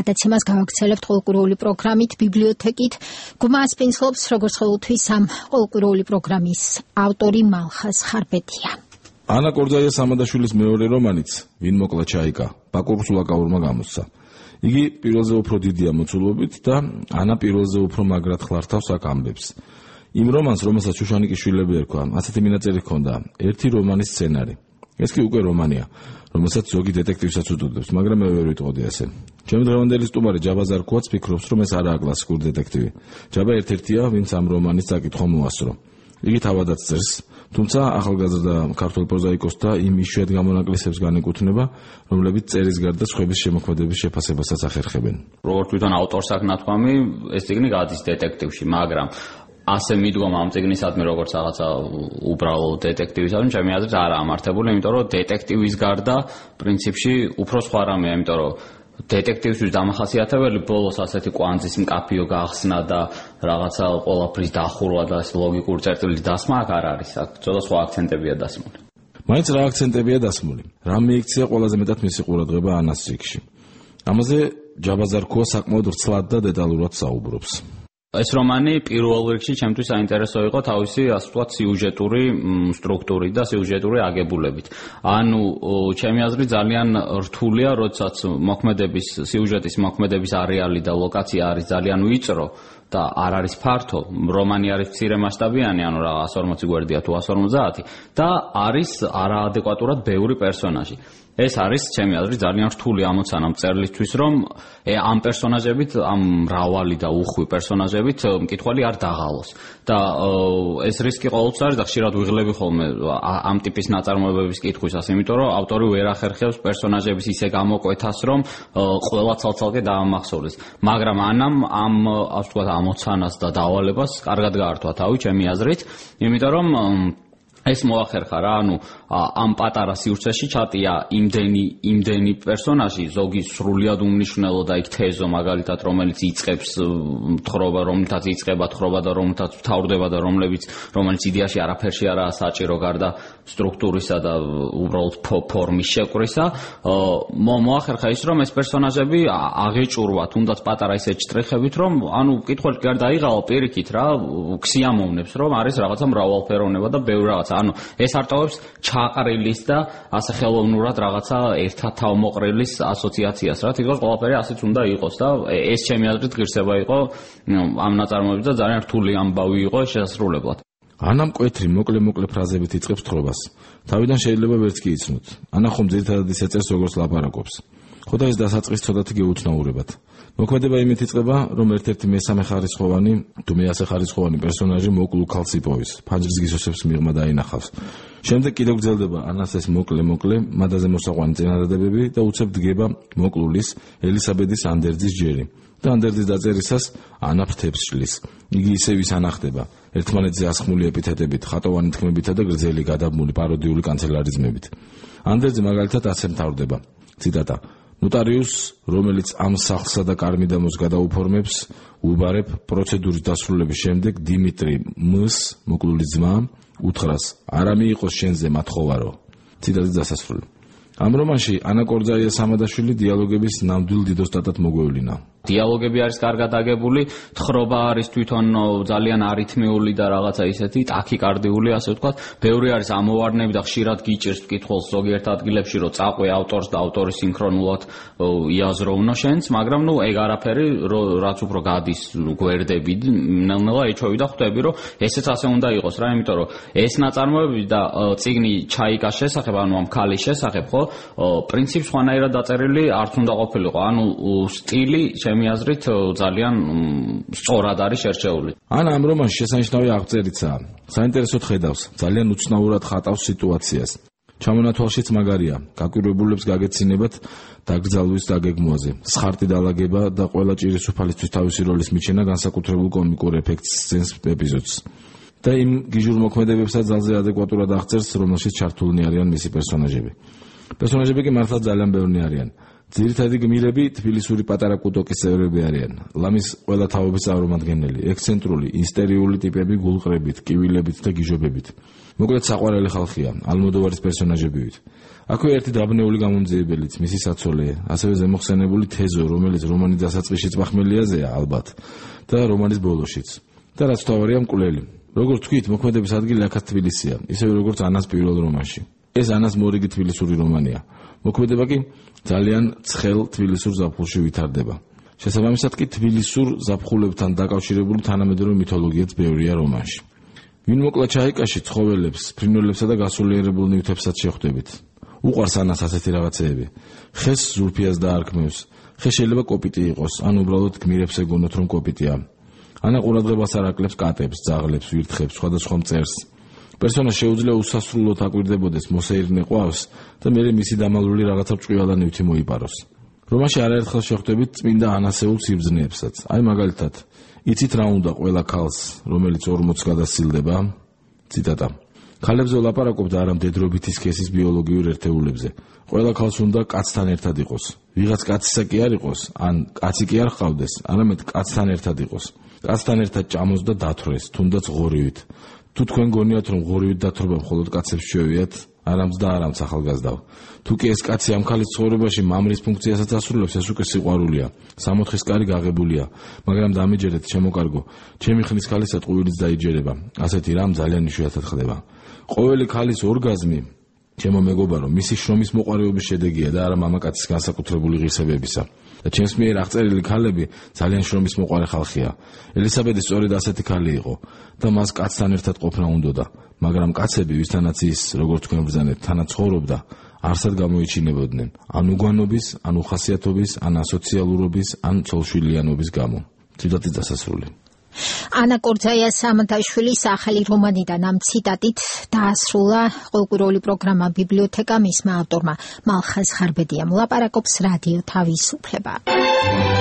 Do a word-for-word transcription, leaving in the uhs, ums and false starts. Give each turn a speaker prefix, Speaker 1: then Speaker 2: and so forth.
Speaker 1: გადაცემას გავაგრძელებთ ყოლკვირეული პროგრამით, ბიბლიოთეკით. გმას პინცლობს, როგორც ყოველთვის ამ ყოლკვირეული პროგრამის ავტორი მალხაზ ხარბეთია.
Speaker 2: ანა კორძაია სამადაშვილის მეორე რომანიც, ვინ მოკლა ჩაიკა, ბაკურ სულაკაურმა გამოსცა. იგი პირველზე უფრო დიდია მოცულობით და ანა პირველზე უფრო მაგრად ხლართავს აქ ამბებს. იმ რომანს, რომელსაც შუშანიკის შვილები ერქვა, ასეთი მინაწერი ჰქონდა, ერთი რომანის სცენარი. ეს კი უკვე რომანია, რომელსაც ზოგი დეტექტივსაც უდოდებს, მაგრამ მე ვერ ვიტყოდი ასე. ჩემი დღევანდელი სტუმარი ჯაბა ზარქუაც ფიქრობს, რომ ეს არაა კლასიკური დეტექტივი. ჯაბა ერთ-ერთია, ვინც ამ რომანის საკითხვა მოასწრო. იგი თავადაც წერს, თუმცა ახალგაზრდა ქართველ პროზაიკოს და იმ იშვიათ გამონაკლისებს განეკუთვნება, რომლებიც წერის გარდა სხვების შემოქმედების შეფასებასაც ახერხებენ.
Speaker 3: როგორც თვითონ ავტორს აქვს ნათქვამი, ეს წიგნი გადის დეტექტივში, მაგრამ ასე მიდგომა ამ წიგნისადმი როგორც რაღაცა უბრალო დეტექტივისადმი, ჩემი აზრით არ ამართებული, იმიტომ რომ დეტექტივის გარდა პრინციპში უფრო სხვა რამეა, იმიტომ რომ დეტექტივისთვის დამახასიათებელი ბოლოს ასეთი კვანძის მკაფიო გახსნა და რაღაცა ყველაფრის დახურვა და ლოგიკური წერტილის დასმა აქ არ არის, აქ ცოტა სხვა აქცენტებია დასმული.
Speaker 2: მაინც რა აქცენტებია დასმული? რა მიიქცია ყველაზე მეტად მისი ყურადღება ანას წიგნში? ამაზე ჯაბა ზარქუა საკმაოდ ვრცლად და დეტალურად საუბრობს.
Speaker 3: ეს რომანი პირველ რიგში ჩემთვის საინტერესო იყო თავისი, ასე ვთქვათ, სიუჟეტური სტრუქტურით და სიუჟეტური აგებულებით. ანუ ჩემი აზრით ძალიან რთულია, როდესაც მოქმედების სიუჟეტის მოქმედების არეალი და ლოკაცია არის ძალიან ვიწრო და არ არის ფართო, რომანი არის მცირე მასშტაბიანი, ანუ რა εκατს ორმოცი გვერდია თუ εκατს ორმოცდაათი და არის არაადეკვატურად ბევრი პერსონაჟი. ეს არის ჩემი აზრით ძალიან რთული ამოცანა მწერლისთვის, რომ ამ პერსონაჟებით, ამ მრავალი და უხვი პერსონაჟებით მკითხველი არ დაღალოს. და ეს რისკი ყოველთვის არის და ხშირად ვიღლები ხოლმე ამ ტიპის ნაწარმოებების კითხვისას, იმიტომ რომ ავტორი ვერ ახერხებს პერსონაჟების ისე გამოკვეთას, რომ ყველა ცალ-ცალკე დაამახსოვრდეს. მაგრამ ანამ ამ, ასე ვთქვათ, ამოცანას და დავალებას კარგად გაართვა თავი, ჩემი აზრით, იმიტომ რომ ეს მოახერხა რა, ანუ ამ პატარა სივრცეში ჩატია იმდენი იმდენი პერსონაჟი, ზოგი სრულიად უმნიშვნელო და იქ თეზო მაგალითად, რომელიც იწყებს თხრობა, რომელთაც იწყება თხრობა და რომელთაც მთავრდება და რომლებიც რომელიც იდეაში არაფერში არაა საჭირო გარდა სტრუქტურისა და უბრალოდ ფორმის შეკვრისა. მოახერხა ის, რომ ეს პერსონაჟები აღეჭურვა, თუნდაც პატარა ისეთ შტრიხებით, რომ ანუ მკითხველს გარდა აიღალა პირიქით რა, ქსიამოვნებს, რომ არის რაღაცა მრავალფეროვნება და ბევრი რაღაც. ანუ ეს არტოვებს ჩაყრილის და ასე ხელოვნურად რაღაცა ერთად თავმოყრილის ასოციაციას რა, თითქოს ყველაფერი ასეც უნდა იყოს და ეს ჩემი აზრით ღირსება იყო ამ ნაწარმოებების და ძალიან რთული ამბავი იყო შესრულებლად.
Speaker 2: ანა მკვეთრი მოკლე-მოკლე ფრაზებით იწყებს თხრობას. თავიდან შეიძლება ვერც კი იცნოთ. ანა ხომ ძირითადად ისე წერს, როგორც ლაპარაკობს. ხო და ეს დასაწყის ცოტათი გეუცნაურებათ. მოქმედება იმით იწყება, რომ ერთ-ერთი მესამე ხარისხოვანი თუ მეასე ხარისხოვანი პერსონაჟი მოკლულ ქალს იპოვის, ფანჯრის გისოსებს მიღმა დაინახავს. შემდეგ კიდევ გრძელდება ანას ეს მოკლე-მოკლე, მადაზე მოსაყვანი წინადადებები და უცებ დგება მოკლულის ელისაბედის ანდერძის ჯერი. და ანდერძის დაწერისას ანა ფრთებს შლის. იგი ისევ ის ანახდება, ერთმანეთზე ასხმული ეპითეტებით, ხატოვანი თქმებითა და გრძელი გადაბმული პაროდიული კანცელარიზმებით. ანდერძი მაგალითად ასე მთავრდება. ციტატა: ნოტარიუსს, რომელიც ამ სახლსა და კარ-მიდამოს გადაუფორმებს, უბარებ პროცედურის დასრულების შემდეგ დიმიტრი მ-ს, მოკლულის ძმა, უთხრას: არა მიიყოს შენზე მათხოვარო. ციტატის დასასრული. ამ რომანში ანა კორძაია სამადაშვილი დიალოგების ნამდვილ დიდოსტატად მოგვევლინა.
Speaker 3: დიალოგები არის კარგად აგებული, თხრობა არის თვითონ ძალიან არითმიული და რაღაცა ისეთი ტაქიკარდიული, ასე ვთქვათ. ბევრი არის ამოვარდნები და ხშირად გიჭირს მკითხველს ზოგიერთ ადგილებში, რომ წაყვე ავტორს და ავტორი სინქრონულად იაზროვნო შენს, მაგრამ ნუ ეგ არაფერი, რაც უფრო გადის გვერდები, ნელ-ნელა ეჩვევი და ხვდები, რომ ესეც ასე უნდა იყოს რა, იმიტომ რომ ეს ნაწარმოები და წიგნი ჩაიკას შესახებ, ანუ ამ ქალის შესახებ, ხო, პრინციპ სხვანაირად დაწერილი არც უნდა ყოფილიყო, ანუ სტილი ჩემი აზრით ძალიან სწორად არის შერჩეული.
Speaker 2: ანა ამ რომანში შესანიშნავი აღწერიცაა. საინტერესოდ ხედავს, ძალიან უცნაურად ხატავს სიტუაციას. ჩამონათვალშიც მაგარია, გაკვირვებულებს გაგეცინებათ დაკრძალვის დაგეგმვაზე. სხარტი დალაგება და ყველა ჭირის უფალისთვის თავისი როლის მიჩენა განსაკუთრებულ კომიკურ ეფექტს სცენს ეპიზოდს. და იმ გიჟურ მოქმედებებსაც ძალზე ადეკვატურად აღწერს, რომელშიც ჩართულნი არიან მისი პერსონაჟები. პერსონაჟები კი მართლა ძალიან ბევრნი არიან. ძირითადი გმირები თბილისური პატარა კუტოკის წევრები არიან. ლამის ყველა თაობის წარმომადგენელი, ექსცენტრული, ისტერიული ტიპები გულყრებით, კივილებით და გიჟობებით. მოკლედ საყვარელი ხალხია, ალმოდოვარის პერსონაჟებივით. აქვე ერთი დაბნეული გამომძიებელიც, მისი საცოლე, ასევე ზემოხსენებული თეზო, რომელიც რომანის დასაწყისშიც მახმელიაზეა ალბათ და რომანის ბოლოშიც. და რაც თავარია მკვლელი. როგორც თქვით, მოქმედების ადგილი აქაც თბილისია, ისევე როგორც ანას პირველ რომანში. ეს ანას მორიგი თბილისური რომანია. მოქმედება კი ძალიან ცხელ თბილისურ ზაფხულში ვითარდება. შესაბამისად კი თბილისურ ზაფხულებთან დაკავშირებული თანამედროვე მითოლოგიაც ბევრია რომანში. ვინ მოკლა ჩაიკაში ცხოველებს, ფრინველებსა და გასულიერებულ ნივთებსაც შეხვდებით. უყვარს ანას ასეთი რაღაცეები. ხეს ზულფიას დაარქმევს. ხე შეიძლება კოპიტი იყოს, ან უბრალოდ გმირებს ეგონოთ რომ კოპიტია. ანა ყურადღებას არ აკლებს კატებს, ძაღლებს, ვირთხებს, სხვადასხვა მწერს. პერსონაჟს შეუძლია უსასრულოდ აკვირდებოდეს მოსეირნე ყვავს და მერე მისი დამალული რაღაცა ჭყიალა ნივთი მოიპაროს. რომანში არაერთხელ შეხვდებით წმინდა ანასეულ სიბრძნეებსაც. აი მაგალითად, იცით რა უნდა ყველა ქალს, რომელიც ორმოცს გადასცილდება? ციტატა. ქალებზე ვლაპარაკობთ არა მდედრობითი სქესის ბიოლოგიურ ერთეულებზე. ყველა ქალს უნდა კაცთან ერთად იყოს. ვიღაც კაცისა კი არ იყოს, ან კაცი კი არ ჰყავდეს, არამედ კაცთან ერთად იყოს. კაცთან ერთად ჭამოს და დათვრეს, თუნდაც ღორივით. თუ თქვენ გონიათ რომ ღორივით დათრობა მხოლოდ კაცებს შევიათ, არამც და არამც ახალგაზრდავ. თუ კი ეს კაცი ამ ქალის ცხოვრებაში მამრის ფუნქციასაც ასრულებს, ეს უკვე სიყვარულია. სამოთხის კარი გაღებულია, მაგრამ დამეჯერეთ შემოკარგო. ჩემი ხნის ქალისა ტყუილიც დაიჯერება. ასეთი რამ ძალიან იშვიათად ხდება. ყოველი ქალის ორგაზმი, ჩემო მეგობარო, მისი შრომის მოყარეობის შედეგია და არა მამაკაცის განსაკუთრებული ღირსებებისა. და ჩემს მიერ აღწერილი ქალები ძალიან შრომის მოყარე ხალხია. ელისაბედი სწორედ ასეთი ქალი იყო და მას კაცთან ერთად ყოფნა უნდოდა, მაგრამ კაცები, ვისთანაც ის, როგორც თქვენ ბრძანეთ, თანაც ცხოვრობდა, არსად გამოიჩინებოდნენ, ან უგვანობის, ან უხასიათობის, ან ასოციალურობის, ან ცოლშვილიანობის გამო. ციტატი დასასრული.
Speaker 1: ანა კორძაიას სამონტაჟვილის ახალი რომანიდან ამ ციტატით დაასრულა ყოველკვირეული პროგრამა ბიბლიოთეკა მისმა ავტორმა მალხაზ ხარბედიამ. ლაპარაკობს რადიო თავისუფლება.